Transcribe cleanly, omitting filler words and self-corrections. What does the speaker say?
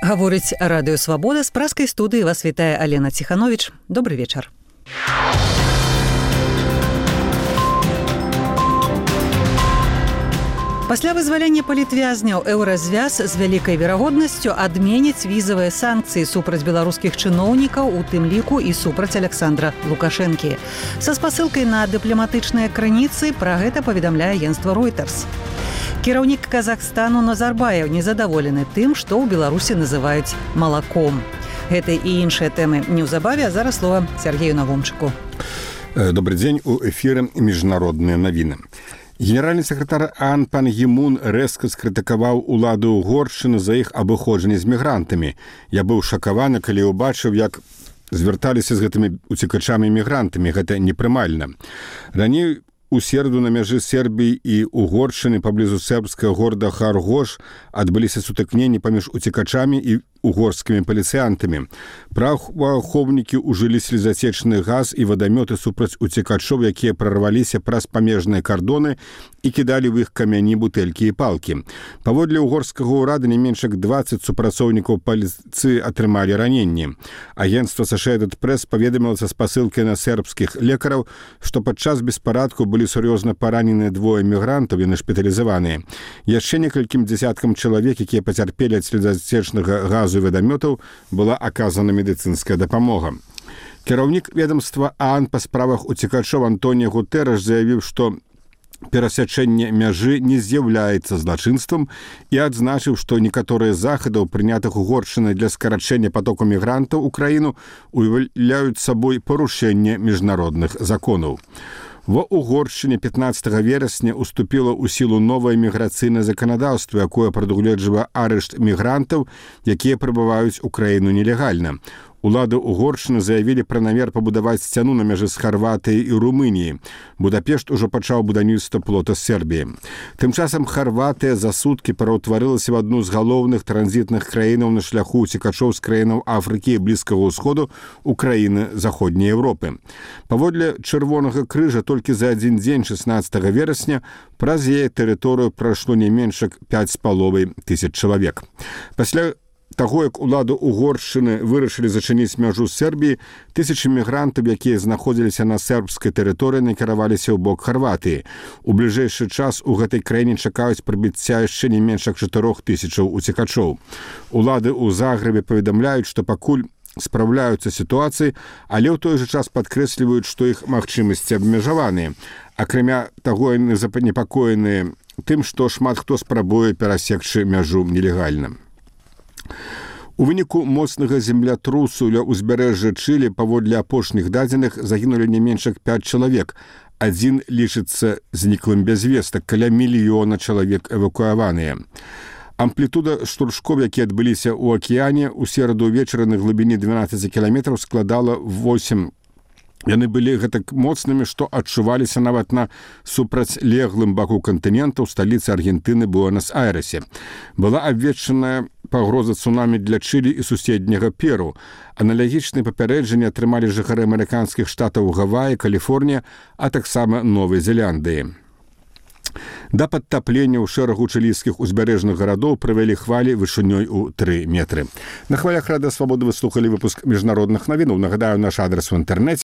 Гаворыць радыё «Свабода», з праскай студыі вас вітае Алена Ціхановіч. Добры вечар. Пасля вызвалення палітвязняў еўразвяз з вялікай верагоднасцю адменіць візавыя санкцыі супраць беларускіх чыноўнікаў, у тым ліку і супраць Александра Лукашэнкі. Са спасылкай на дыпламатычныя крыніцы пра гэта паведамляе агенцтва Reuters. Кіраўнік Казахстану Назарбаев незадаволены тым, што ў Беларусі называюць малаком. Гэта і іншыя тэмы неўзабаве, а зараз слова Сергею Навумчыку. Добрый дзень, у эфіры міжнародныя навіны. Генеральны сакратар ААН пан Гі Мун рэзка скрытыкаваў уладу Угоршчыны за іх абыходжанне з мігрантамі. Я быў шакаваны, калі ўбачыў, як звярталіся з гэтымі уцекачамі-мігрантамі. Гэта непрымальна. Раней у середу на мяжы Сербіі і Угоршчыны паблізу сербскага горада Харгош адбыліся сутыкненні паміж уцекачамі і угорскімі паліцыянтамі. Праваахоўнікі ўжылі слезацечны газ і вадамёты супраць уцекачоў, якія прарваліся праз памежныя кардоны і кідалі ў іх камяні, бутэлькі і палкі. Паводле угорскага ўрада не менш як 20 супрацоўнікаў паліцыі атрымалі раненні. Агенцтва Associated Press паведаміла са спасылкай на сербскіх лекараў, што падчас беспарадку былі сур'ёзна параненыя двое мігрантаў і нашпіталізаваныя. Яшчэ некалькім дзясяткам чалавек, якія пацярпелі ад слезацечнага газу і вадамётаў, была аказана медыцынская дапамога. Кіраўнік ведамства ААН па справах уцекачоў Антоніо Гутэрэш заявіў, што перасячэнне мяжы не з'яўляецца злачынствам і адзначыў, што некаторыя захадаў, прынятых Угоршчынай для скарачэння патоку мігрантаў у краіну, уяўляюць сабой парушэнне міжнародных законаў. Ва Угоршчыне 15 верасня уступіла ў сілу новае міграцыйнае заканадаўства, якое прадугледжвае арышт мігрантаў, якія прыбываюць у краіну нелегальна. Улады Угоршчыны заявілі пра намер пабудаваць сцяну на мяжы з Харватыяй і Румыніяй. Будапешт ужо пачаў будаўніцтва плота з Сербіі. Тым часам Харватыя за суткі пераўтварылася в адну з галоўных транзітных краінаў на шляху уцекачоў з краінаў Афрыкі і Блізкага ўсходу ў краіны Заходняй Еўропы. Паводле Чырвонага крыжа толькі за адзін дзень 16 верасня праз яе тэрыторыю прайшло не менш як 5,5 тысяч чалавек. Пасля таго, як уладу Угоршчыны вырашылі зачыніць мяжу з Сербіі, тысячы мігрантаў, якія знаходзіліся на сербскай тэрыторыі, накіраваліся ў бок Харватыі. У бліжэйшы час у гэтай краіне чакаюць прыбыцця яшчэ не менш як 4000 уцекачоў. Улады ў Загрэбе паведамляюць, што пакуль спраўляюцца сітуацыі, але ў той жа час падкрэсліваюць, што іх магчымасці абмежаваныя. Акрамя таго, яны занепакоеныя тым, што шмат хто спрабуе перасекчы мяжу нелегальна. У выніку моцнага землятрусу ля ўзбярэжжа Чылі паводле апошніх дадзеных загінулі не менш як 5 чалавек. Адзін лічыцца зніклым без вестак, каля 1 мільёна чалавек эвакуяваныя. Амплітуда штуршкоў, якія адбыліся ў акіяне, у сераду ўвечары на глыбіні 12 кіламетраў складала 8. Яны былі гэтак моцнымі, што адчуваліся нават на супрацьлеглым баку кантынента ў сталіцы Аргентыны Буэнас-Айрэсе. Была абвешчаная пагроза цунамі для Чылі і суседняга Перу. Аналагічныя папярэджанні атрымалі жыхары амерыканскіх штатаў Гаваі, Каліфорнія, а таксама Новай Зеландыі. Да падтаплення ў шэрагу чылійскіх узбярэжных гарадоў прывялі хвалі вышынёй у 3 метры. На хвалях радыё «Свабода» вы слухалі выпуск міжнародных навінаў. Нагадаю, наш адрас у інтэрнэце